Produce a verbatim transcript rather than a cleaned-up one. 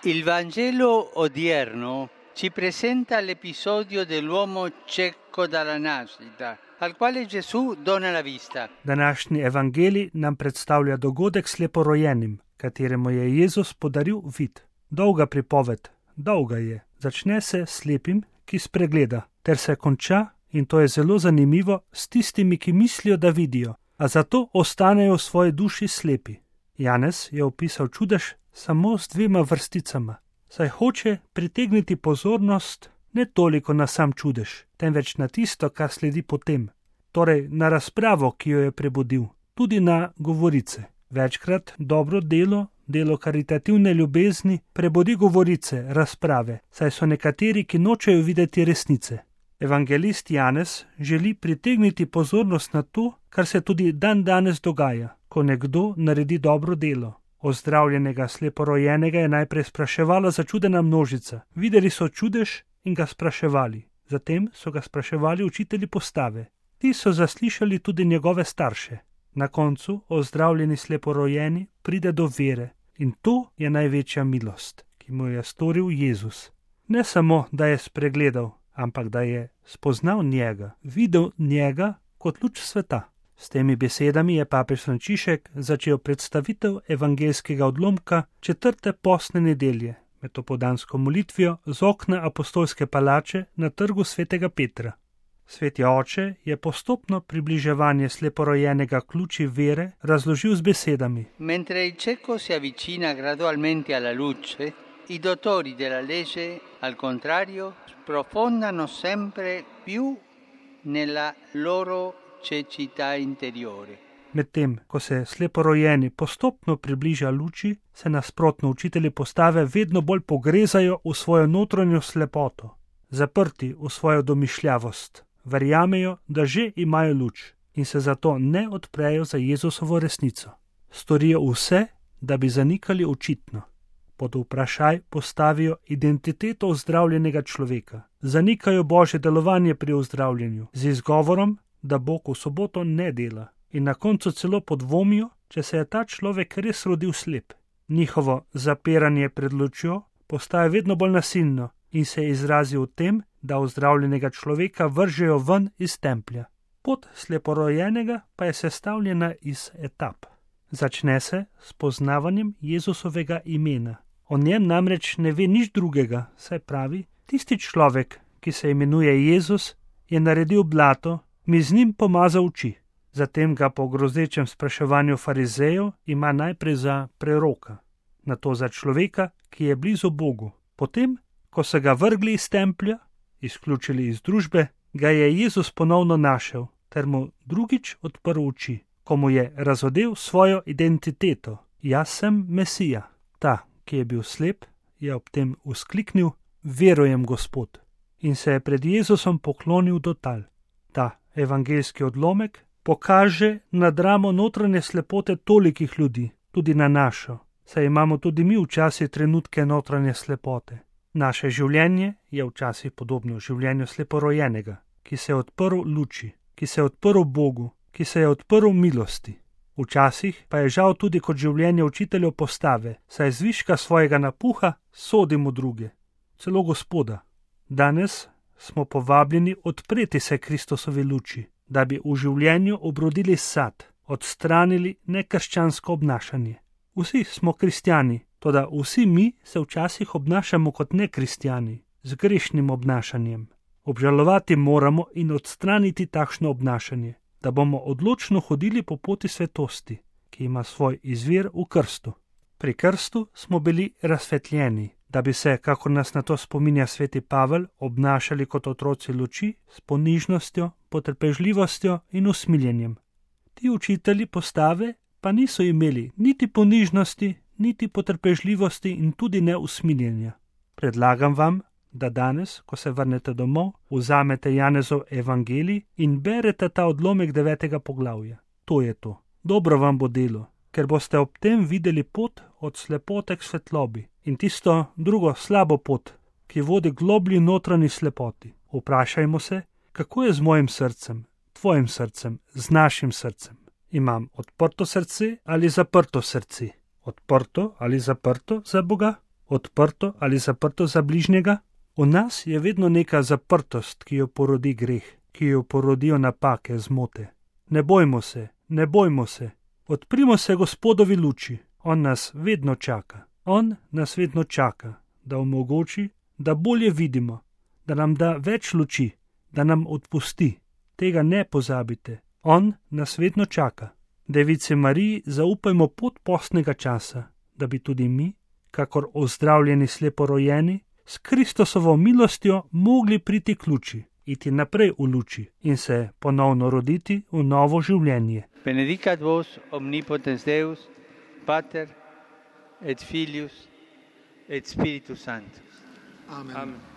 Il Vangelo odierno ci presenta l'episodio dell'uomo cieco dalla nascita, al quale Gesù dona la vista. Današnji evangelij nam predstavlja dogodek sleporojenim, kateremu je Jezus podaril vid. Dolga pripoved, dolga je. Začne se s slepim, ki spregleda, ter se konča, in to je zelo zanimivo, s tistimi, ki mislijo, da vidijo, a zato ostanejo v svoji duši slepi. Janez je opisal čudež samo s dvema vrsticama, saj hoče pritegniti pozornost ne toliko na sam čudež, temveč na tisto, kar sledi potem, torej na razpravo, ki jo je prebudil, tudi na govorice. Večkrat dobro delo, delo karitativne ljubezni, prebudi govorice, razprave, saj so nekateri, ki nočejo videti resnice. Evangelist Janez želi pritegniti pozornost na to, kar se tudi dan danes dogaja, ko nekdo naredi dobro delo. Ozdravljenega sleporojenega je najprej spraševala začudena množica. Videli so čudež in ga spraševali. Zatem so ga spraševali učitelji postave. Ti so zaslišali tudi njegove starše. Na koncu ozdravljeni sleporojeni pride do vere in to je največja milost, ki mu je storil Jezus. Ne samo, da je spregledal, ampak da je spoznal njega, videl njega kot luč sveta. S temi besedami je papež Frančišek začel predstavitev evangeljskega odlomka četrte postne nedelje med opoldansko molitvijo z okna apostolske palače na trgu svetega Petra. Sveti oče je postopno približevanje sleporojenega k luči vere razložil z besedami. Mentre il cieco si avvicina gradualmente alla luce, i dottori della legge, al contrario, sprofondano sempre più nella loro cecità interiore. Medtem, ko se sleporojeni postopno približa luči, se nasprotno učitelji postave vedno bolj pogrezajo v svojo notranjo slepoto, zaprti v svojo domišljavost. Verjamejo, da že imajo luč in se zato ne odprejo za Jezusovo resnico. Storijo vse, da bi zanikali očitno. Pod vprašaj postavijo identiteto ozdravljenega človeka. Zanikajo Božje delovanje pri ozdravljenju z izgovorom, da Bog v soboto ne dela. In na koncu celo podvomijo, če se je ta človek res rodil slep. Njihovo zapiranje pred lučjo postaje vedno bolj nasilno in se izrazi v tem, da ozdravljenega človeka vržejo ven iz templja. Pot sleporojenega pa je sestavljena iz etap. Začne se s poznavanjem Jezusovega imena. O njem namreč ne ve nič drugega, saj pravi, tisti človek, ki se imenuje Jezus, je naredil blato, mi z njim pomazal oči. Zatem ga po grozečem spraševanju farizejev ima najprej za preroka, nato za človeka, ki je blizu Bogu. Potem, ko so ga vrgli iz templja, izključili iz družbe, ga je Jezus ponovno našel, ter mu drugič odprl oči, ko mu je razodel svojo identiteto. Jaz sem Mesija. Ta, ki je bil slep, je ob tem vzkliknil, verujem, Gospod, in se je pred Jezusom poklonil do tal. Ta evangeljski odlomek pokaže na dramo notranje slepote tolikih ljudi, tudi na našo, saj imamo tudi mi včasih trenutke notranje slepote. Naše življenje je včasih podobno življenju sleporojenega, ki se je odprl luči, ki se je odprl Bogu, ki se je odprl milosti. Včasih pa je žal tudi kot življenje učiteljev postave, saj zviška svojega napuha sodimo druge, celo Gospoda. Danes smo povabljeni odpreti se Kristusovi luči, da bi v življenju obrodili sad, odstranili nekrščansko obnašanje. Vsi smo kristjani, toda vsi mi se včasih obnašamo kot nekristjani, z grešnim obnašanjem. Obžalovati moramo in odstraniti takšno obnašanje, da bomo odločno hodili po poti svetosti, ki ima svoj izvir v krstu. Pri krstu smo bili razsvetljeni, da bi se, kako nas na to spominja sveti Pavel, obnašali kot otroci luči s ponižnostjo, potrpežljivostjo in usmiljenjem. Ti učitelji postave pa niso imeli niti ponižnosti, niti potrpežljivosti in tudi ne usmiljenja. Predlagam vam, da danes, ko se vrnete domov, vzamete Janezov evangelij in berete ta odlomek devetega poglavja. To je to. Dobro vam bo delo, ker boste ob tem videli pot od slepote k svetlobi in tisto drugo slabo pot, ki vodi globlji notranji slepoti. Vprašajmo se, kako je z mojim srcem, tvojim srcem, z našim srcem. Imam odprto srce ali zaprto srce? Odprto ali zaprto za Boga? Odprto ali zaprto za bližnjega? V nas je vedno neka zaprtost, ki jo porodi greh, ki jo porodijo napake, zmote. Ne bojmo se, ne bojmo se. Odprimo se Gospodovi luči. On nas vedno čaka. On nas vedno čaka, da omogoči, da bolje vidimo, da nam da več luči, da nam odpusti. Tega ne pozabite. On nas vedno čaka. Devici Mariji zaupajmo pot postnega časa, da bi tudi mi, kakor ozdravljeni sleporojeni, s Kristosovo milostjo mogli priti k luči, iti naprej v luči in se ponovno roditi v novo življenje. Benedicat vos omnipotens Deus, Pater et Filius et Spiritus Sanctus. Amen. Amen.